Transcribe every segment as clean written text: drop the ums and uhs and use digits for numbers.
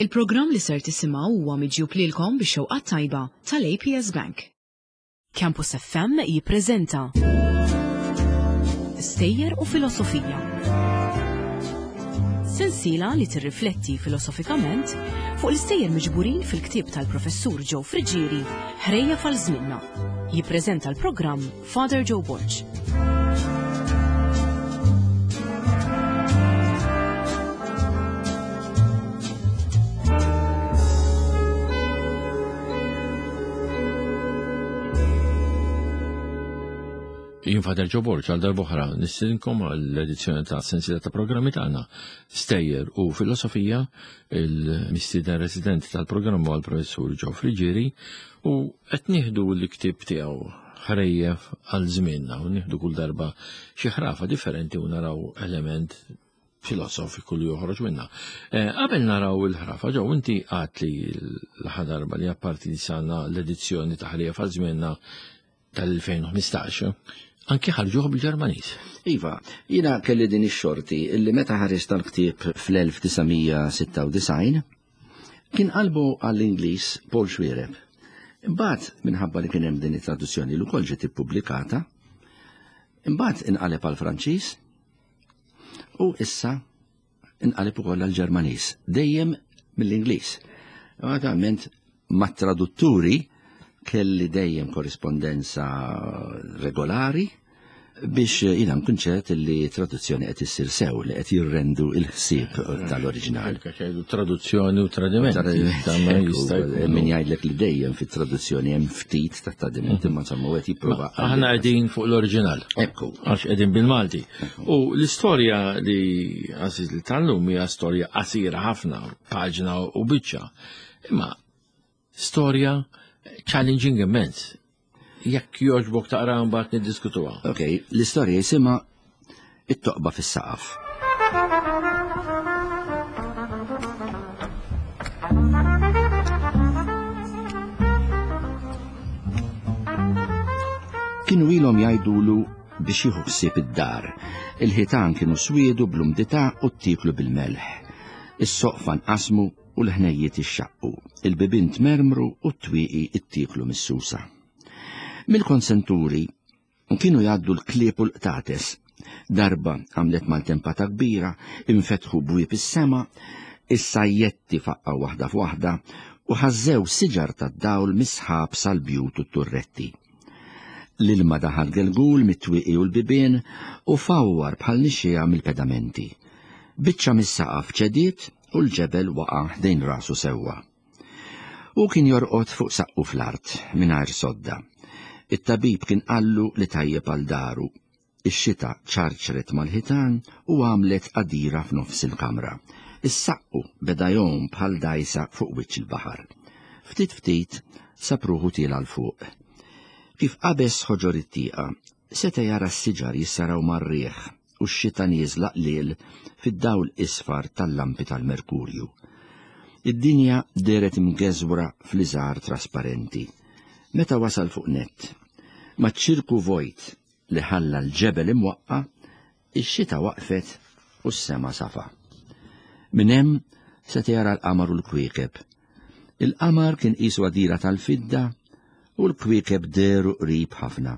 Il-programm li ser tisimgħu huwa miġjub lilkom bix-xewqa tajba tal-APS Bank. Campus FM jippreżenta Stejjer u Filosofija. Sensiela li tirrifletti filosofikament fuq l-istejjer miġburin fil-ktieb tal-Professur Joe Friggieri, Ħrejja fal żmienna. Jippreżenta l-programm Father Joe Borg. Jien Father Joe Borg għal darbohra nistidinkom għall-edizzjoni ta' sensiela ta' programmi tagħna Stejjer u Filosofija, il-mistieden residenti tal-programm huwa l-Professur Joe Friggieri u qed nieħdu l-ktieb tiegħu ħrejjef għal żmienna u nieħdu kull darba xi ħrafa differenti u naraw element filosofiku li joħroġ minna. Eh, qabel naraw il-ħrafa, ġew inti għat li l-aħħar darba li apparti li sana l-edizzjoni ta' ħrejjef għal żmienna tal-2015, anki ħarġuh bil-Ġermaniż. Iva, jina kelli din ix-xorti illi meta ħareġ tal-ktieb fl-1996 Kien qalbu għall-Ingliż Paul Xuereb. Imbagħad minħabba li kien hemm din it-traduzzjoni li wkoll ġiet ippubblikata, imbagħad inqaleb għall-Franċiż u issa inqaleb ukoll għall-Ġermaniż, dejjem mill-Ingliż. Naturalment mat-tradutturi kelli dejjem korrispondenza regolari biex jina nkun ċert li traduzzjoni qed issir sew li qed jirrendu il-ħsieb tal-oriġinal. Traduzzjoni u tradiment. Min jgħidlek li dejjem fit-traduzzjoni hemm ftit ta' tradiment imma insomma qed jipprova. Aħna qegħdin fuq l-oriġinal. Ekku. Għax qegħdin bil-Malti. U l-istorja li għażiż li tal-lum hija storja qasira ħafna, paġna u biċċa. Imma storja challenging immens. Jekk jogħġbok taqra mbagħad niddiskutuha. Ok, l-istorja jisimha it-toqba fis-saqaf. Kienu ilhom jgħidulu biex jieħu ħsieb id-dar. Il-ħitan kienu swiedu bl-umdità u ttieklu bil-melħ. Is-soqfa nqasmu u l-ħnejjiet ixxaqqu, il-bibien tmermru u t-twieqi ttieklu mis-susa. Mill-konsenturi kienu jgħaddu l-klieb u l-qtates. Darba għamlet maltempata kbira, infetħu bwieb is-sema, is-sajjetti faqqgħu waħda f'waħda u ħażżew siġar tad-dawl mis-sħab sal-bjut u t-turretti. L-ilma daħal gelgul mit-twieqi u l-bibien u fawwar bħal nixxiegħa mill-pedamenti. Biċċa mis-saqaf ċediet u l-ġebel waqa' ħdejn rasu sewwa. Hu kien jorqod fuq saqqu fl-art, mingħajr sodda. It-tabib kien qallu li tajjeb għal daru. Ix-xita ċarċret mal-ħitan u għamlet għadira f'nofs il-kamra. Is-saqqu beda jgħum bħal dgħajsa fuq wiċċ il-baħar. Ftit ftit sab ruħu tiela' 'l fuq. Kif qabeż ħoġor it-tieqa, seta' jara s-siġar jissaraw mar-riħ u x-xita nieżla qliel fid-dawl isfar tal-lampi tal-merkurju. Id-dinja dehret imgeżwra fl-iżgħar trasparenti. Meta wasal fuq nett, maċ-ċirku vojt li ħalla l-ġebel imwaqqa', ix-xita waqfet u s-sema safa. Minn hemm seta' jara l-qamar u l-kwiekeb. Il-qamar kien qisu għadira tal-fidda u l-kwiekeb dehru qrib ħafna,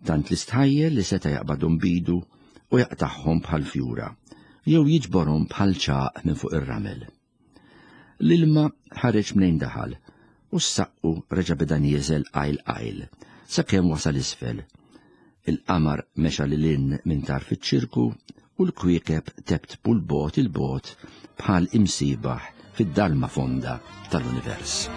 tant li stħajjel li seta' jaqbadhom b'idu u jaqtagħhom bħal fjura, jew jiġborhom bħal ċagħaq minn fuq ir-ramel. L-ilma ħareġ mnejn daħal u s-saqqu reġa' beda nieżel qajl qajl, sakemm wasal isfel. Il-qamar mexa lil hinn minn tarf iċ-ċirku u l-kwiekeb teptpu 'l bogħod 'il bogħod bħal imsiebaħ fid-dalma fonda tal-univers.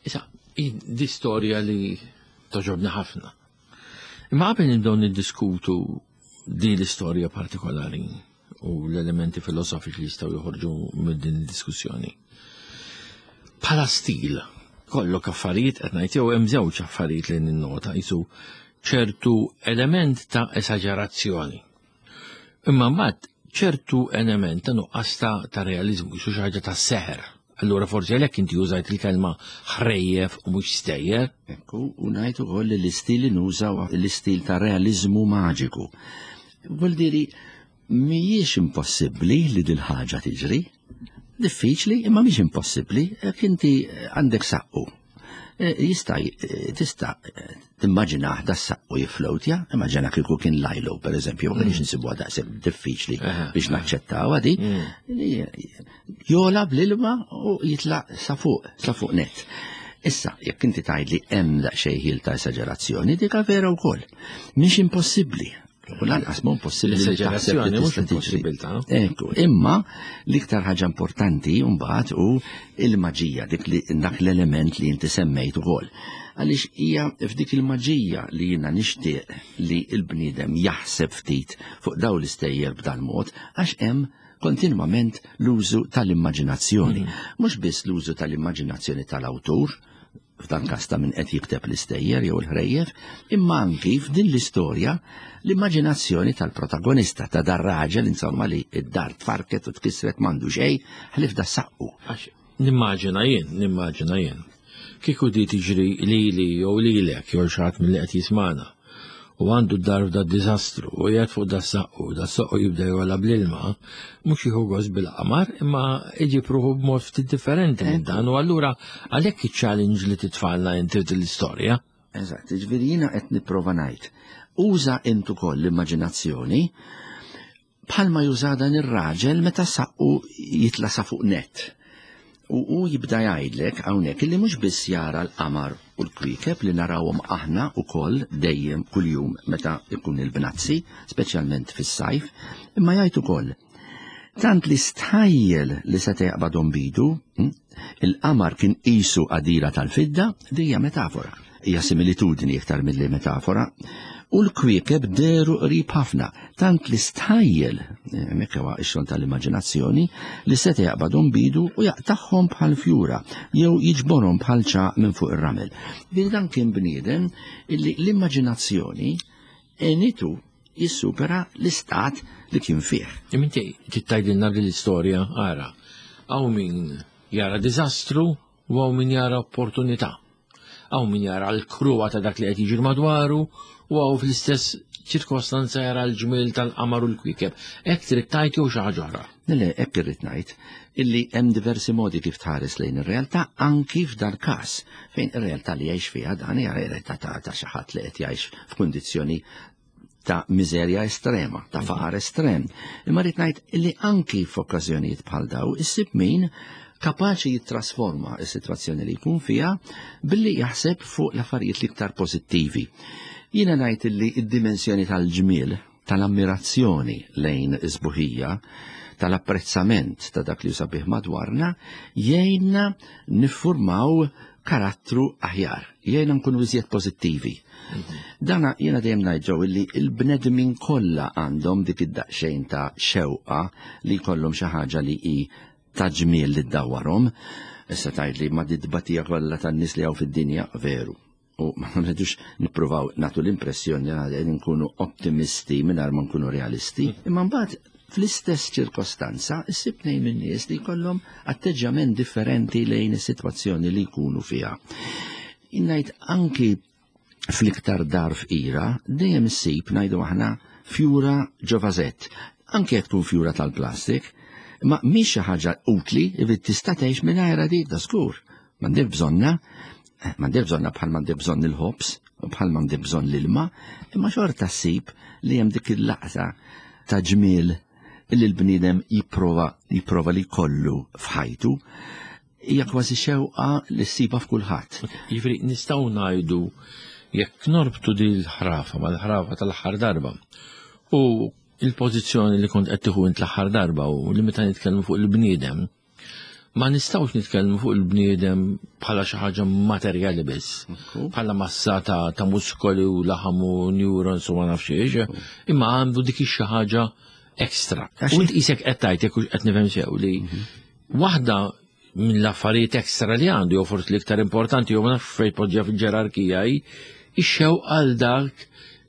Issa, di storja li toġobni ħafna. Imma qabel nibdew niddiskutu din l-istorja partikolari u l-elementi filosofiċi li jistgħu joħorġu minn din id-diskussjoni. Bħala stil, kollok affarijiet qed ngħid jew hemm żewġ affarijiet li ninnota jisu ċertu element ta' esaġerazzjoni. Imma mbagħad ċertu element ta' nuqqas ta' realizmu, jisu xi ħaġa ta' seħer. Allura forsi għalhekk inti użajt il-kelma ħrejjef u mhux stejjer. Ekku, u ngħid ukoll li l-istil li nuża l-istil ta' realiżmu maġiku. Vuol diri mhijiex impossibbli li dil-ħaġa tiġri. Diffiċli, imma mhix impossibbli, jekk inti għandek saqqu. E, jista' e, tista' e, timmaġinah da saqqu jiflowtja, immaġina kieku kien lajlo, per eżempju, ma kienx nsibuha daqshekk diffiċli biex naċċettawha di. Mm. Jola bl-ilma u jitla sa fuq, sa fuq net. Issa, jekk inti tgħidli hemm daqsxejn ħil ta' esaġerazzjoni, dika vera wkoll. Mhix impossibbli. U lanqas mhu possibbli li taħseb li tista' tiġri. Ekku, imma l-iktar ħaġa importanti mbagħad hu il-maġija, dik li dak l-element li inti semmejt ukoll. Għaliex hija f'dik il-maġija li jiena nixtieq li l-bniedem jaħseb ftit fuq dawn l-istejjer b'dan mod għax hemm kontinwament l-użu tal-immaġinazzjoni. Mhux biss l-użu tal-immaġinazzjoni tal-awtur, f'dan każ ta' min qed jikteb l-istejjer jew il-ħrejjef, imma anki f'din l-istorja l-immaġinazzjoni tal-protagonista ta' dar raġel insomma li id-dar tfarket u tkissret m'għandu xejn ħlief da saqqu. Għax nimmaġina jien, nimmaġina jien. Kieku di tiġri lili jew lilek jew xi ħadd milli qed jismagħna u għandu d-dar f'da diżastru u qiegħed fuq da saqqu, da saqqu jibda jola bl-ilma, mhux jieħu gost bil-qamar, imma iġib ruħu b'mod ftit differenti minn dan u allura għalhekk iċ-challenge li titfalna inti l-istorja. Eżatt, ġifieri jiena qed nipprova ngħid. Uża int ukoll l-immaġinazzjoni bħalma juża dan ir-raġel meta saqqu jitla' sa fuq net. U hu jibda jgħidlek hawnhekk illi mhux biss jara l-qamar u l-kwiekeb li narawhom aħna wkoll dejjem kuljum meta jkun il-bnazzi, speċjalment fis-sajf, imma jgħid ukoll tant li stħajjel li seta' jaqbadhom bidu, il-qamar kien qisu qadira tal-fidda, din hija metafora. Hija similitudni iktar milli metafora, u l-kwiekeb dehru qrib ħafna, tant li stħajjel, hemmhekk huwa x-xogħol tal-immaġinazzjoni, li seta' jaqbadhom b'idu u jaqtagħhom bħal fjura jew jiġborhom bħal ċagħaq minn fuq ir-ramel. Ġifieri dan kien bniedem illi l-immaġinazzjoni għenitu jissupera l-istat li kien fih. Imma inti trid tgħidilna din l-istorja, ara, hawn min jara diżastru u hawn min jara opportunità. Hawn min jara l-kruha ta' dak li qed jiġri madwaru u hawn fl-istess ċirkostanza jara l-ġmiel tal-qamar u l-kwiekeb. Hekk trid tgħid jew xi ħaġa oħra? Le, hekk irrid ngħid illi hemm diversi modi kif tħares lejn ir-realtà anki f'dal każ fejn ir-realtà li jgħix fiha dan hija realtà ta' xi ħadd li qed jgħix f'kundizzjoni ta' miżerja estrema, ta' faqar estrem. Imma rrid ngħid li anki f'okkażjonijiet bħal daw issib min kapaċi jittrasforma s-sitwazzjoni li jkun fiha billi jaħseb fuq l-affarijiet l-iktar pożittivi. Jiena ngħid li d-dimensjoni tal-ġmiel, tal-ammirazzjoni lejn is-sbuħija, tal-apprezzament ta' dak li sabiħ madwarna, jgħinna niffurmaw karattru aħjar, jgħinna nkunu iżjed pożittivi. Dana jiena dejjem ngħid ġew illi l-bnedmin kollha għandhom dik id-daqsxejn ta' xewqa li jkollhom xi ħaġa li hi ta' ġmiel li ddawwarhom. Issa tgħidli ma di tbatija kollha tan-nies li hawn fid-dinja, veru. U ma rridux nippruvaw nagħtu l-impressjoni li qegħdin nkunu ottimisti mingħajr ma nkunu realisti, imma mbagħad fl-istess ċirkostanza issib tnejn min-nies li jkollhom atteġġjament differenti lejn is-sitwazzjoni li jkunu fiha. Ngħid anki fl-iktar dar fqira dejjem issib ngħidu aħna fjura ġo vażett, anke jekk tkun fjura tal-plastik, ma mhix xi ħaġa utli li tista' tgħix mingħajrha dik da żgur. M'għandek bżonna, eh, m'għandek bżonna bħal m'għandek bżonn il-ħobż, bħal m'għandek bżonn l-ilma, imma xorta ssib li hemm dik il-laqta ta' ġmiel li l-bniedem jipprova jipprova li jkollu f'ħajtu hija kważi xewqa li ssibha f'kulħadd. Jiġifieri nistgħu ngħidu jekk norbtu din l-ħrafa mal-ħrafa tal-aħħar darba u il-pożizzjoni li kont qed tieħu int l-aħħar darba u li meta nitkellmu fuq il-bniedem, ma nistgħux nitkellmu fuq il-bniedem bħala xi ħaġa materjali biss, bħala massa ta', ta muskoli u laħam u neurons u ma nafx ix, imma għandu dik xi ħaġa ekstra. U int qisek qed tgħid jekk qed nifhem sew li mhm. Waħda minn l-affarijiet ekstra li għandu, jew forsi l-iktar importanti, jew ma nafx fejn poġġa fil-ġerarkija hi, ix-xewq għal dak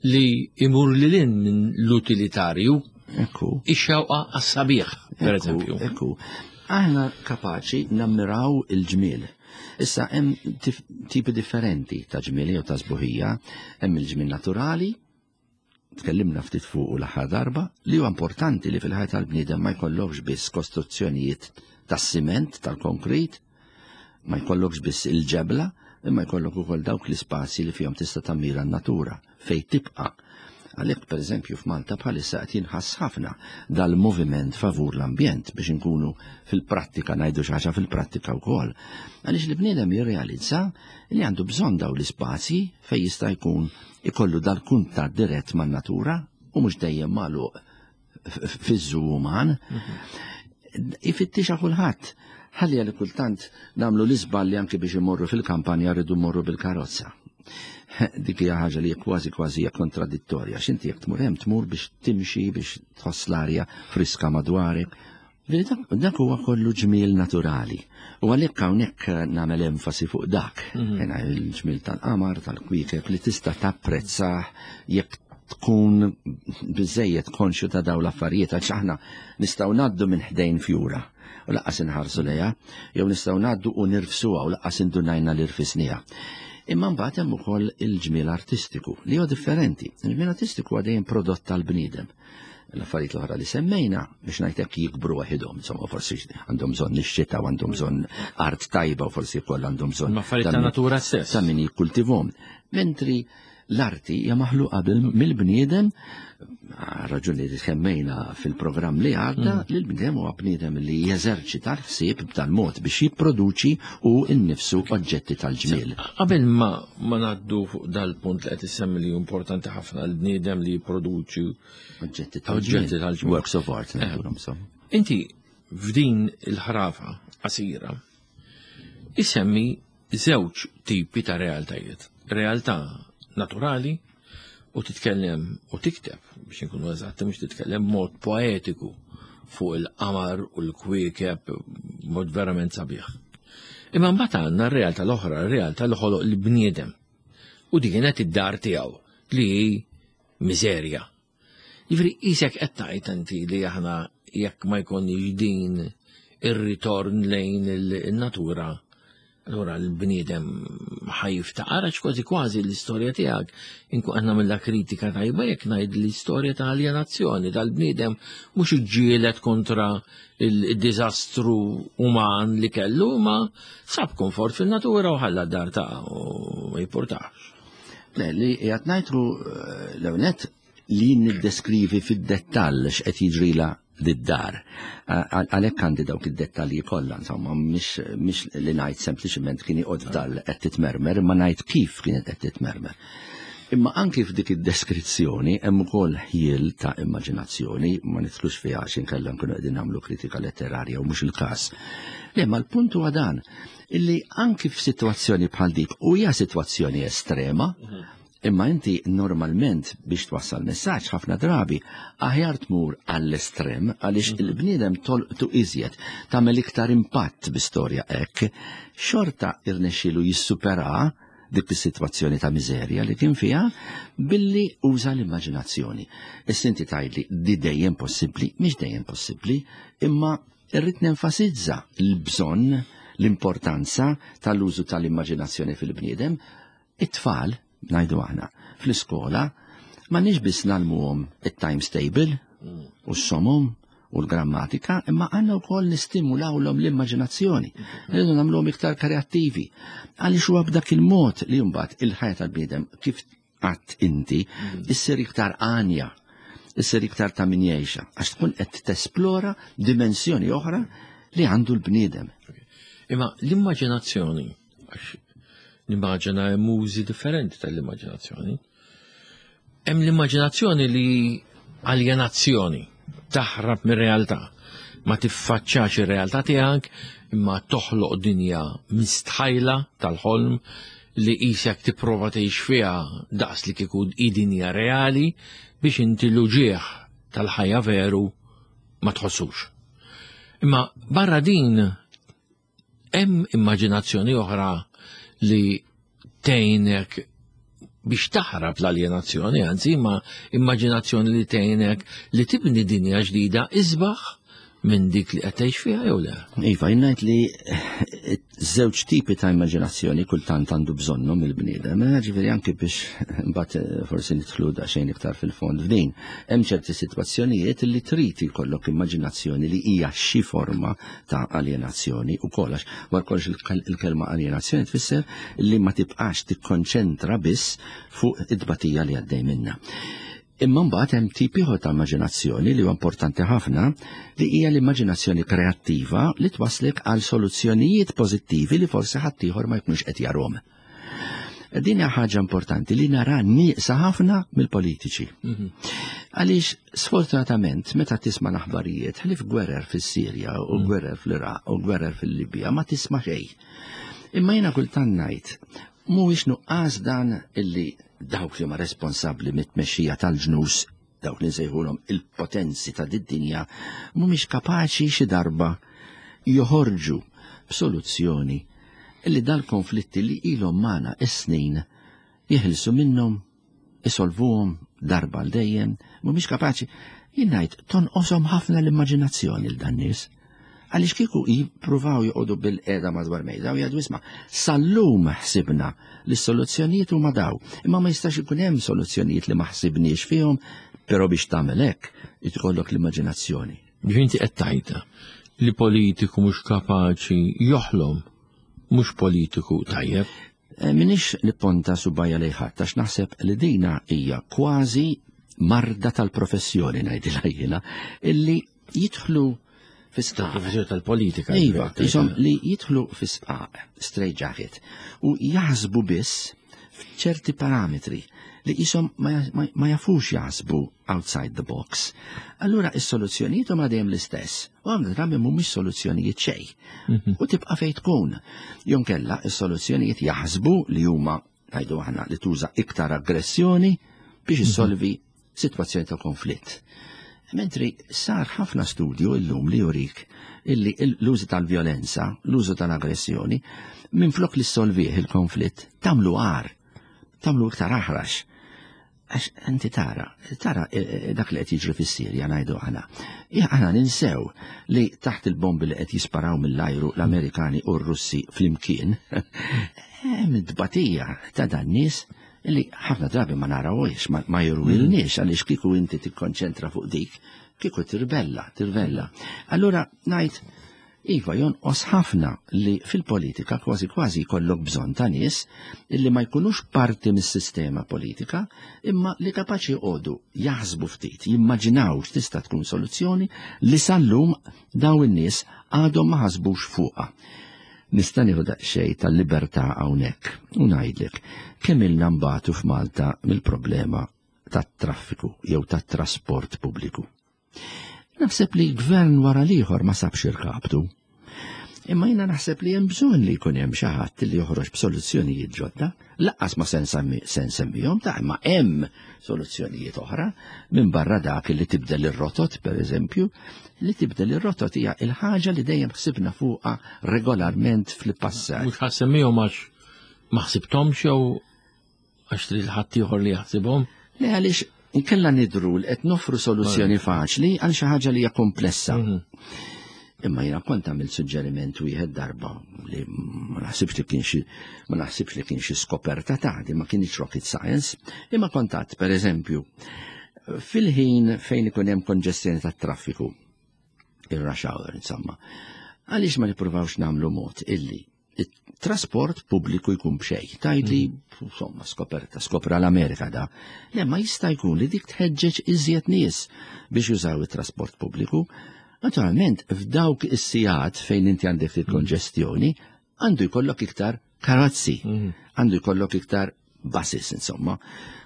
li imur lil hinn minn l-utilitarju. Ekku. Ix-xewqa għas-sabiħ, per eżempju. Ekku. Aħna kapaċi nammiraw il-ġmiel. Issa hemm tipi differenti ta' ġmiel jew ta' sbuħija, hemm il-ġmiel naturali, tkellimna ftit fuq l-aħħar darba, li huwa importanti li fil-ħajja tal-bniedem ma jkollokx biss kostruzzjonijiet tas-siment, tal-konkrit, ma jkollokx biss il-ġebla, imma jkollok ukoll dawk l-ispazji li fihom tista' tammira n-natura fejn tibqa'. Għalhekk pereżempju f'Malta bħalissa qed jinħass ħafna dal-moviment favur l-ambjent biex inkunu fil-prattika ngħidu xi ħaġa fil-prattika wkoll. Għaliex li bniedem jirrealizza li għandu bżonn dawn l-ispazji fejn jista' jkun ikollu dal-kuntatt dirett man-natura u mhux dejjem magħluq fiż-żu uman. Ifittixa kulħadd. Ħalli għalli kultant nagħmlu l-iżball li anki biex imorru fil-kampanja rridu mmorru bil-karozza. Dik hija ħaġa li kważi kważi hija kontradittorja. X'inti jekk tmur hemm tmur biex timxi biex tħoss l-arja friska madwarek. Dak huwa kollu ġmiel naturali. U għalhekk hawnhekk nagħmel enfasi fuq dak. Jena il-ġmiel tal-qamar, tal-kwiekeb li tista' tapprezzah jekk tkun biżejjed konxju ta' dawn l-affarijiet għax aħna nistgħu ngħaddu minn ħdejn fjura u laqqas inħarsu lejha, jew nistgħu ngħaddu u nirfsuha u laqqas indunajna li rfisniha. Imma mbagħad hemm ukoll il-ġmiel artistiku li huwa differenti. Il-ġmiel artistiku huwa dejjem prodott tal-bniedem. L-affarijiet l-oħra li semmejna biex ngħidlek jikbru waħidhom, insomma forsi għandhom bżonn ix-xita u għandhom bżonn art tajba u forsi wkoll għandhom bżonn affarijiet ta' natura stess. Ta' min jikkultivhom. Mentri l-arti hija maħluqa mill-bniedem, raġuni li semmejna fil-programm li għadda, li l-bniedem huwa bniedem li jeżerċita l-ħsieb b'tal-mod biex jipproduċi u nnifsu oġġetti tal-ġmiel. Qabel ma ngħaddu fuq dal-punt li qed issemmi li importanti ħafna l-bniedem li jipproduċi oġġetti tal-ġmiel. Works of art, ngħidulhom insomma. Inti f'din il-ħrafa qasira isemmi żewġ tipi ta' realtajiet. Realtà naturali u titkellem u tikteb biex inkunu eżatti mhux titkellem mod poetiku fuq il-qamar u l-kwiekeb mod verament sabiħ. Imma mbagħad għandna r-realtà l-oħra, r-realtà li ħoloq il-bniedem. U din kienet id-dar tiegħu li hi miżerja. Jiġifieri qisek qed tgħid inti li aħna jekk ma jkollniex din ir-ritorn lejn il-natura, allura l-bniedem ħajiftaqar għax kważi kważi l-istorja tiegħek inkun qed nagħmilha kritika tajba jekk ngħid l-istorja ta' aljenazzjoni tal-bniedem mhux iġġieled kontra il-diżastru uman li kellu ma sab komfort fil-natura u ħalla d-dar ta' u ma jippurtax. Le, li qiegħed ngħidlu l-ewwel li niddeskrivi fid-dettall x'qed jiġrila lid-dar. Għalhekk għandi dawk id-dettalji kollha, insomma, mhix li ngħid sempliċement kien joqgħod f'dal qed titmermer, imma ngħid kif kienet qed titmermer. Imma anki f'dik id-deskrizzjoni hemm ukoll ħjiel ta' immaġinazzjoni, ma nidħlux fiha għax inkella nkunu qegħdin nagħmlu kritika letterarja u mhux il-każ. Le, ma l-punt huwa dan, illi anki f'sitwazzjoni bħal dik, u hija sitwazzjoni estrema, imma inti normalment biex twassal messaġġ ħafna drabi aħjar tmur għall-estrem għaliex il-bniedem tolqtu iżjed, tagħmel iktar impatt bi storja hekk, xorta irnexxielu jissupera dik is-sitwazzjoni ta' miżerja li kien fiha billi uża l-immaġinazzjoni. Issa inti tgħidli di dejjem possibbli, mhix dejjem possibbli, imma irrid nenfasizza l-bżonn, l-importanza tal-użu tal-immaġinazzjoni fil-bniedem. It-tfal, ngħidu aħna, fl-iskola ma nix biss nagħlmuhom it-times table u s-somom u l-grammatika, imma għandna wkoll nistimulawlhom l-immaġinazzjoni. Rridu nagħmluhom iktar kreattivi. Għaliex huwa b'dak il-mod li mbagħad il-ħajja tal-bniedem kif qatt inti issir iktar għanja, issir iktar ta' min jgħixha, għax tkun qed tesplora dimensjoni oħra li għandu l-bniedem. Imma l-immaġinazzjoni, għax nimmaġina hemm użi differenti tal-immaġinazzjoni. Hemm l-immaġinazzjoni li aljenazzjoni, taħrab mir-realtà, ma tiffaċċax ir-realtà tiegħek, imma toħloq dinja mistħajla tal-ħolm li qisek tipprova tgħix fiha daqs li kieku hi dinja reali biex inti l-uġigħ tal-ħajja veru ma tħossux. Imma barra din hemm immaġinazzjoni oħra li tgħinek biex taħrab l-aljenazzjoni, anzi, ma immaġinazzjoni li tgħinek li tibni dinja ġdida isbaħ minn dik li qed tgħix fiha jew le? Iva, jien ngħid li eh, żewġ tipi ta' immaġinazzjoni kultant għandu bżonnhom il-bniedem, eh, ġifieri anki biex mbagħad eh, forsi nidħlu daqsxejn iktar fil-fond f'din. Hemm ċerti sitwazzjonijiet li trid jkollok immaġinazzjoni li hija xi forma ta' aljenazzjoni u għax wara kollox il-kelma aljenazzjoni tfisser li ma tibqax tikkonċentra biss fuq it-tbatija li għaddej minna. Imma mbagħad hemm tip ieħor ta' immaġinazzjoni li huwa importanti ħafna li hija l-immaġinazzjoni kreattiva li twaslek għal soluzzjonijiet pożittivi li forsi ħaddieħor ma jkunx qed jarhom. Din hija ħaġa importanti li nara nieqsa ħafna mill-politiċi. Mhm. Għaliex sfortunatament meta tisma' l-aħbarijiet ħlief gwerer fis-Sirja u mhm. gwerer fl-Iraq u gwerer fil-Libja ma tisma' xejn. Imma jiena kultant ngħid mhuwiex nuqqas dan illi dawk li huma responsabbli mit-tmexxija tal-ġnus, dawk li nsejħulhom il-potenzi ta' did-dinja, mhumiex kapaċi xi darba joħorġu b'soluzzjoni li dal-konflitti li ilhom magħna is-snin jeħilsu minnhom, isolvuhom darba għal dejjem, mhumiex kapaċi. Jien ngħid tonqoshom ħafna l-immaġinazzjoni l dan nies. Għaliex kieku jippruvaw joqogħdu bil-qiegħda madwar mejda u jgħidu isma' sal-lum ħsibna li s-soluzzjonijiet huma daw. Imma ma jistax ikun hemm soluzzjonijiet li ma ħsibniex fihom, però biex tagħmel hekk ikollok l-immaġinazzjoni. Biex inti qed tgħidha li politiku mhux kapaċi joħlom mhux politiku tajjeb. Eh, minix nipponta subajja lejn ħadd għax naħseb li dina hija kważi marda tal-professjoni ngħidilha jiena illi jidħlu fi sqaq. Professjoni tal-politika. Iva, jisom li jidħlu fi sqaq, straight jacket, u jaħsbu biss f'ċerti parametri li jisom ma jafux jaħsbu outside the box. Allura is-soluzzjonijiet huma dejjem l-istess. U għamlu drabi mhumiex soluzzjonijiet xejn. Mhm. U tibqa' fejn tkun. Jonkella is-soluzzjonijiet jaħsbu li huma ngħidu aħna li tuża iktar aggressjoni biex mhm. issolvi sitwazzjoni ta' konflitt. Mentri sar ħafna studju illum li jurik illi l-użu tal-vjolenza, l-użu tal-aggressjoni, minflok li solvih il-konflitt, tamlu għar, tamlu iktar aħrax. Għax inti tara, tara eh, eh, dak li qed jiġri fis-Sirja ngħidu aħna. Aħna ninsew li taħt il-bombi li qed jisparaw mill-ajru l-Amerikani u r-Russi flimkien, hemm tbatija ta' dan nies li ħafna drabi ma narawhiex, ma jurwilniex għaliex kieku inti tikkonċentra fuq dik, kieku tirbella, tirvella. Allura ngħid Iva, jonqos ħafna li fil-politika kważi kważi jkollok bżonn ta' nies illi ma jkunux parti mis-sistema politika imma li kapaċi joqogħdu jaħsbu ftit, jimmaġinaw x'tista' tkun soluzzjoni li sal-lum daw in-nies għadhom ma ħasbux fuqha. Nista' nieħu daqsxejn tal-libertà hawnhekk u ngħidlek kemm ilna nbatu f'Malta mill-problema tat-traffiku jew tat-trasport pubbliku. Naħseb li gvern wara l-ieħor ma sabx irkabtu. Imma jiena naħseb li hemm bżonn li jkun hemm xi ħadd li joħroġ b'soluzzjonijiet ġodda, laqqas ma se nsemmihom ta' imma hemm soluzzjonijiet oħra minn barra dak li tibdel ir-rotot pereżempju, li tibdel ir-rotot hija il-ħaġa li dejjem ħsibna fuqha regolarment fil-passat. Mhux ħassemmihom għax ma ħsibthomx jew Għax trid ħaddieħor li jaħsibhom? Le għaliex inkella nidru li qed noffru soluzzjoni faċli għal xi ħaġa li hija komplessa. Mhm. Imma jiena kont għamilt suġġeriment wieħed darba li ma naħsibx li kien xi ma naħsibx li kien xi skoperta ta' di ma kienx rocket science, imma kontat pereżempju fil-ħin fejn ikun hemm konġestjoni tat-traffiku, ir-rush hour insomma, għaliex ma nippruvawx nagħmlu mod illi trasport pubbliku jkun b'xejn. Tgħidli, mm. insomma, skoperta, skopra l-Amerika da. Le ma jista' jkun li dik tħeġġeġ iżjed nies biex jużaw it-trasport pubbliku. Naturalment, f'dawk is-sigħat fejn inti għandek il-konġestjoni, għandu jkollok iktar karozzi, mm. għandu jkollok iktar buses, insomma,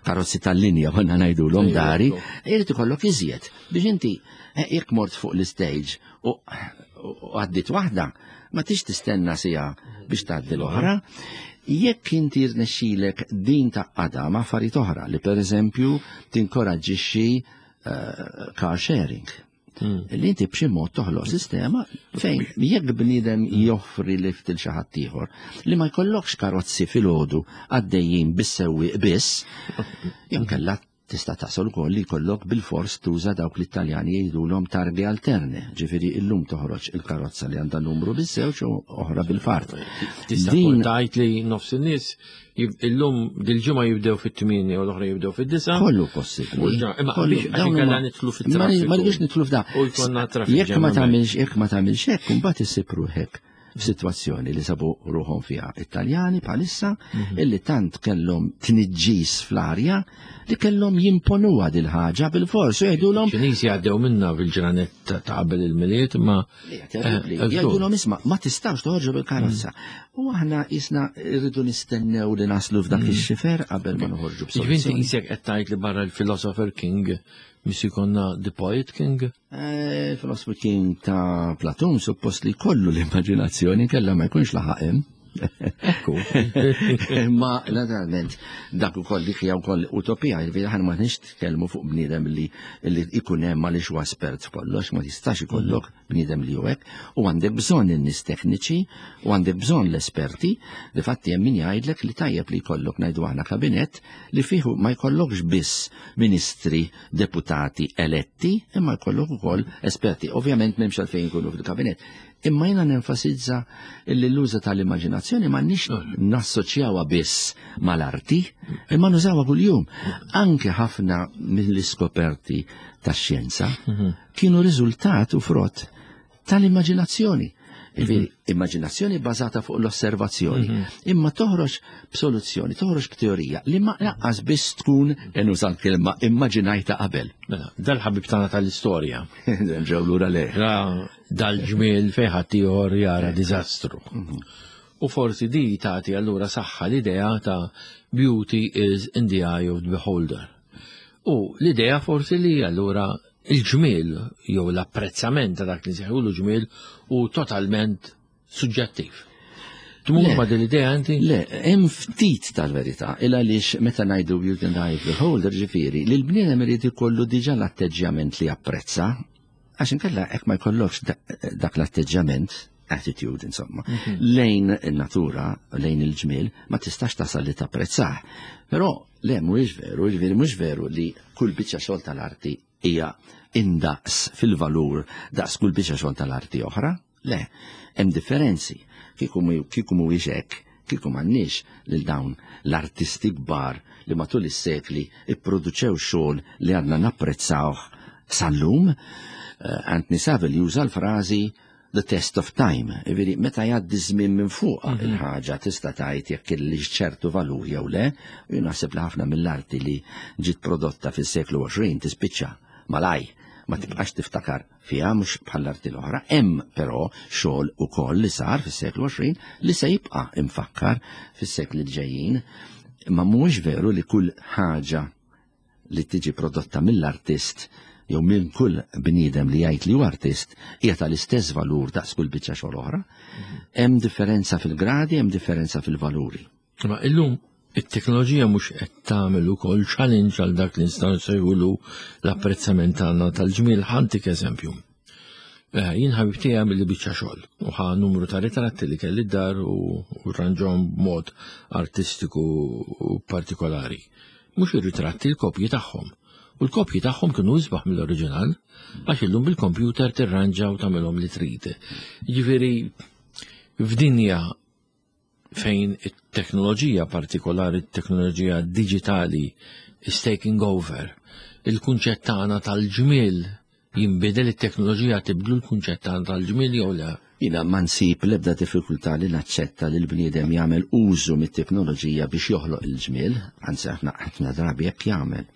karozzi tal-linja konna ngħidulhom dari, irid ikollok iżjed biex inti eh, jekk mort fuq l-stage u għaddit waħda, ma tix tistenna sija biex tgħaddi l-oħra. Jekk inti rnexxilek din ta' qada ma' affarijiet oħra li pereżempju tinkoraġġixxi eh, car sharing. Hmm. Li inti b'xi mod toħloq sistema fejn jekk bniedem joffri lift il xi ħadd ieħor li ma jkollokx karozzi filgħodu għaddejjin bis-sewwieq biss, jew kellha Tista' tasal ukoll li jkollok bilfors tuża dawk li t-Taljani jgħidulhom targhe alterne, ġifieri illum toħroġ il-karozza li għandha numru biż-żewġ u oħra bil-fart. Tista' tgħid li nofs in-nies illum dil-ġimgħa jibdew fit-8 u l-oħra jibdew fid-9. Kollu possibbli. Imma biex inkella nidħlu fit-traffiku. Ma rridux nidħlu f'da. U jkollna traffiku. Jekk ma tagħmilx jekk ma tagħmilx hekk, imbagħad issib ruħek f'sitwazzjoni li sabu ruħhom fiha it-Taljani bħalissa illi tant kellhom tniġġis fl-arja li kellhom jimponuha dil-ħaġa bil-fors u jgħidulhom. Ċiniżi għaddew minna fil-ġranet ta' qabel il-Milied imma Jgħidulhom isma' ma tistgħux toħorġu bil-karozza. U aħna jisna rridu nistennew li naslu f'dak ix-xifer qabel ma noħorġu b'soluzzjoni. Ġifieri qisek qed tgħid li barra l-Philosopher King mis ikonna The Poet King? Philosopher King ta' Platun suppost li kollu l-immaġinazzjoni kella ma jkunx laħaq hemm. Ekku. Imma naturalment dak ukoll dik hija wkoll utopija, jiġifieri aħna ma nix tkellmu fuq bniedem li li jkun hemm għaliex huwa espert f'kollox, ma tistax ikollok bniedem li hu hekk, u għandek bżonn in-nies tekniċi u għandek bżonn l-esperti, difatti hemm min jgħidlek li tajjeb li jkollok ngħidu aħna kabinett li fih ma jkollokx biss ministri deputati eletti, imma jkollok ukoll esperti. Ovvjament m'hemmx għalfejn jkunu fil-kabinett. Imma jiena nenfasizza li l-użu tal-immaġinazzjoni m'għandniex nassoċjawha biss mal-arti, imma nużawha kuljum. Anke ħafna mill-iskoperti tax-xjenza kienu riżultat u frott tal-immaġinazzjoni. Ġifieri, immaġinazzjoni bbażata fuq l-osservazzjoni, imma toħroġ b'soluzzjoni, toħroġ b'teorija li ma laqqas biss tkun nuża l-kelma immaġinajta qabel. Mela, dal-ħabib tagħna tal-istorja. Ġew lura le. Ra dal-ġmiel fejn ħaddieħor jara diżastru. U forsi di tagħti allura saħħa l-idea ta' beauty is in the eye of the beholder. U l-idea forsi li allura il-ġmiel jew l-apprezzament ta' dak li nsejħulu ġmiel hu totalment suġġettiv. Tmur ma' din l-idea inti? Le, hemm ftit tal-verità, il għaliex meta ngħidu beauty in the eye of the beholder, ġifieri, li l-bniedem irid ikollu diġà l-atteġġjament li japprezza, għax inkella hekk ma jkollokx dak l-atteġġjament, attitude insomma, lejn in-natura, lejn il-ġmiel, ma tistax tasal li tapprezzah. Però le mhuwiex veru, ġifieri mhux veru li kull biċċa xogħol tal-arti hija indaqs fil-valur daqs kull biċċa xogħol tal-arti oħra. Le, hemm differenzi. Kieku mhuwiex hekk, kieku m'għandniex lil dawn l-artisti kbar li matul is-sekli ipproduċew xogħol li għadna napprezzawh sal-lum. Anthony Saville juża l-frażi the test of time, jiġifieri meta jgħaddi żmien minn fuqha il-ħaġa tista' tgħid jekk kellix ċertu valur jew le, u jien naħseb li ħafna mill-arti li ġiet prodotta fis-seklu 20 tispiċċa malaj, ma tibqax tiftakar fiha mhux bħall-arti l-oħra. Hemm però xogħol ukoll li sar fis-seklu 20 li se jibqa' imfakkar fis-sekli li ġejjin. Imma mhuwiex veru li kull ħaġa li tiġi prodotta mill-artist jew minn kull bniedem li jgħid li hu artist hija tal-istess valur daqs kull biċċa xogħol oħra. Hemm differenza fil-gradi, hemm differenza fil-valuri. Ma illum it-teknoloġija mhux qed tagħmel ukoll challenge għal dak li nistgħu nsejħulu l-apprezzament tagħna tal-ġmiel. Ħantik eżempju. Jien ħabib tiegħi għamil li biċċa xogħol u ħa numru ta' ritratti li kelli d-dar u rranġhom b'mod artistiku u partikolari. Mhux ir-ritratti, l-kopji tagħhom. U l-kopji tagħhom kienu isbaħ mill-oriġinal għax illum bil-kompjuter tirranġa u tagħmilhom li trid. Jiġifieri f'dinja fejn it-teknoloġija partikolari, it-teknoloġija diġitali is taking over, il-kunċett tagħna tal-ġmiel jinbidel, it-teknoloġija tibdlu l-kunċett tagħna tal-ġmiel jew le? Jiena ma nsib l-ebda diffikultà li naċċetta li l-bniedem jagħmel użu mit-teknoloġija biex joħloq il-ġmiel, anzi aħna ħafna drabi hekk jagħmel.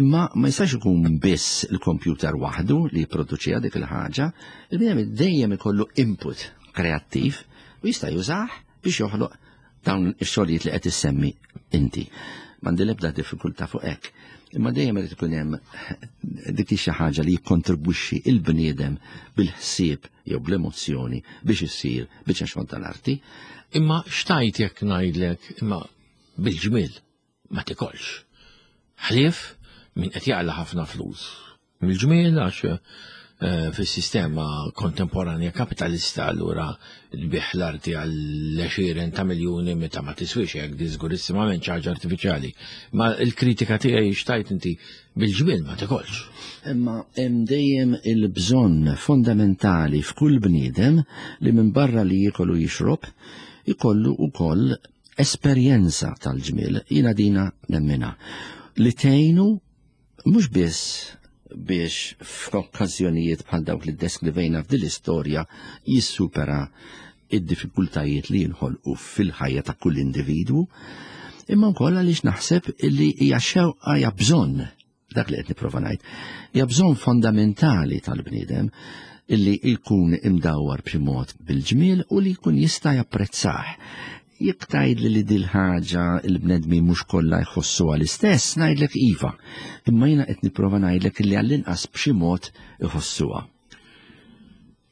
Imma ma jistax ikun biss il-kompjuter waħdu li jipproduċiha dik il-ħaġa, il-bniedem dejjem ikollu input kreattiv u jista' jużah biex joħloq dawn ix-xogħlijiet li qed issemmi inti. M'għandi l-ebda diffikultà fuq hekk. Imma dejjem irid ikun hemm dik xi ħaġa li jikkontribwixxi il-bniedem bil-ħsieb jew bl-emozzjoni biex issir biċċa xogħol tal-arti. Imma xtajt jekk ngħidlek imma bil-ġmiel ma tikolx. Ħlief min qed jaqla' ħafna flus. Mill-ġmiel għax eh, fis-sistema kontemporanja kapitalista allura tbigħ l-arti għal għexieren ta' miljuni meta ma tiswix hekk di żgurissimament xi ħaġa artifiċjali. Ma l-kritika tiegħi xtajt inti bil-ġmiel ma tikolx. Imma hemm dejjem il-bżonn fondamentali f'kull bniedem li minn barra li jiekol u jixrob ikollu wkoll esperjenza tal-ġmiel, jiena dina nemminha, li tgħinu mhux biss biex f'okkażjonijiet bħal dawk li ddeskrivejna f'din l-istorja jissupera id-diffikultajiet li jinħolqu fil-ħajja ta' kull individwu, imma wkoll għaliex naħseb li hija xewqa hija bżonn dak li qed nipprova ngħid, hija bżonn fondamentali tal-bniedem illi jkun imdawwar b'xi mod bil-ġmiel u li jkun jista' japprezzah. Jekk tgħidli li dil-ħaġa l-bnedmin mhux kollha jħossuha l-istess, ngħidlek iva. Imma jiena qed nipprova ngħidlek illi għall-inqas b'xi mod iħossuha.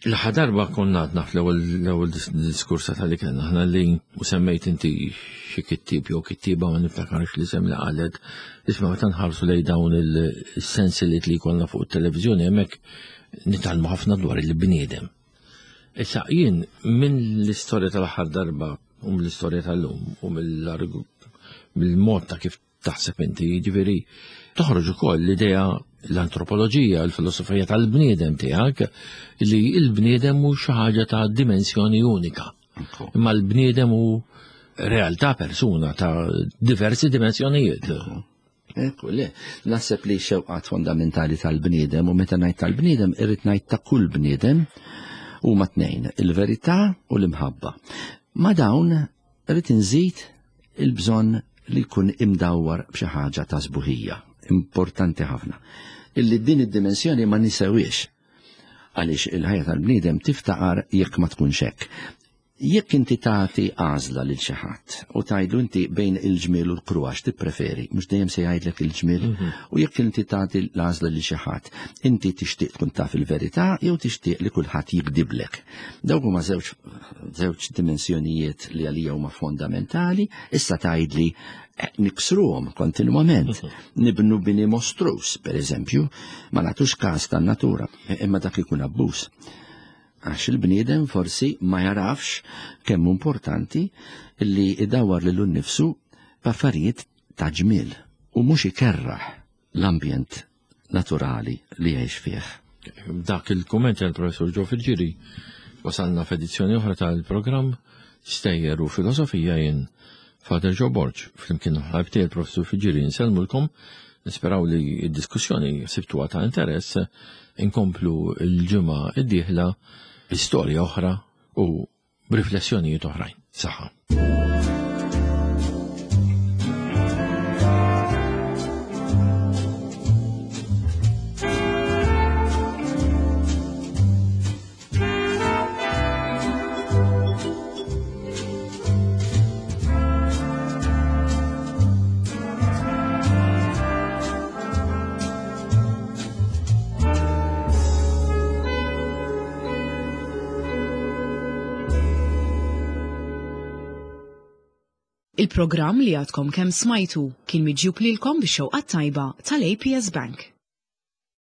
L-aħħar darba konna għadna fl-ewwel diskursa tal-li kellna aħna li u semmejt inti xi kittieb jew kittieba ma niftakarx li sem li qalet isma' meta nħarsu lejn dawn il-sensiliet li jkollna fuq it-televiżjoni hemmhekk nitgħallmu ħafna dwar il-bniedem. Issa jien minn l-istorja tal-aħħar darba u mill-istorja tal-lum u mill-mod ta' kif taħseb inti, jiġifieri toħroġ ukoll l-idea l-antropoloġija, l-filosofija tal-bniedem tiegħek li l-bniedem hu xi ħaġa ta' dimensjoni unika. Imma l-bniedem hu realtà persuna ta' diversi dimensjonijiet. Ekku, le, naħseb li xewqat fondamentali tal-bniedem u meta ngħid tal-bniedem irrid ngħid ta' kull bniedem huma tnejn, il-verità u l-imħabba. Ma dawn Irrid inżid il-bżonn li jkun imdawwar b'xi ħaġa ta' sbuħija, importanti ħafna. Illi din id-dimensjoni ma nisewiex għaliex il-ħajja tal-bniedem tiftaqar jekk ma tkunx hekk. Jekk inti tagħti għażla lil xi ħadd u tgħidlu inti bejn il-ġmiel u l-kruha x'tippreferi, mhux dejjem se jgħidlek il-ġmiel, mhm. u jekk inti tagħti l-għażla lil xi ħadd, inti tixtieq tkun taf il-verità jew tixtieq li kulħadd jikdiblek. Dawk huma żewġ żewġ dimensjonijiet li għalija huma fondamentali, issa tgħidli eh, niksruhom kontinwament. Mhm. Nibnu bini mostrus, per eżempju, ma nagħtux każ tan-natura, eh, imma dak ikun abbuż. Għax il-bniedem forsi ma jarafx kemm importanti li idawar lilu nnifsu b'affarijiet ta' ġmiel u mhux ikerraħ l-ambjent naturali li jgħix fih. Dak il-kumment tal-Professur Ġo Filġiri wasalna f'edizzjoni oħra tal-programm Stejjer u Filosofija jien Father Joe Borg flimkien ħabti il-Professur Filġiri nsellmulkom nisperaw li d-diskussjoni sibtuha ta' interess inkomplu l-ġimgħa d-dieħla bi storja oħra u b'riflessjonijiet oħrajn. Saħħa. Il-programm li għadkom kemm smajtu kien miġjub lilkom bix-xewqa tajba tal-APS Bank.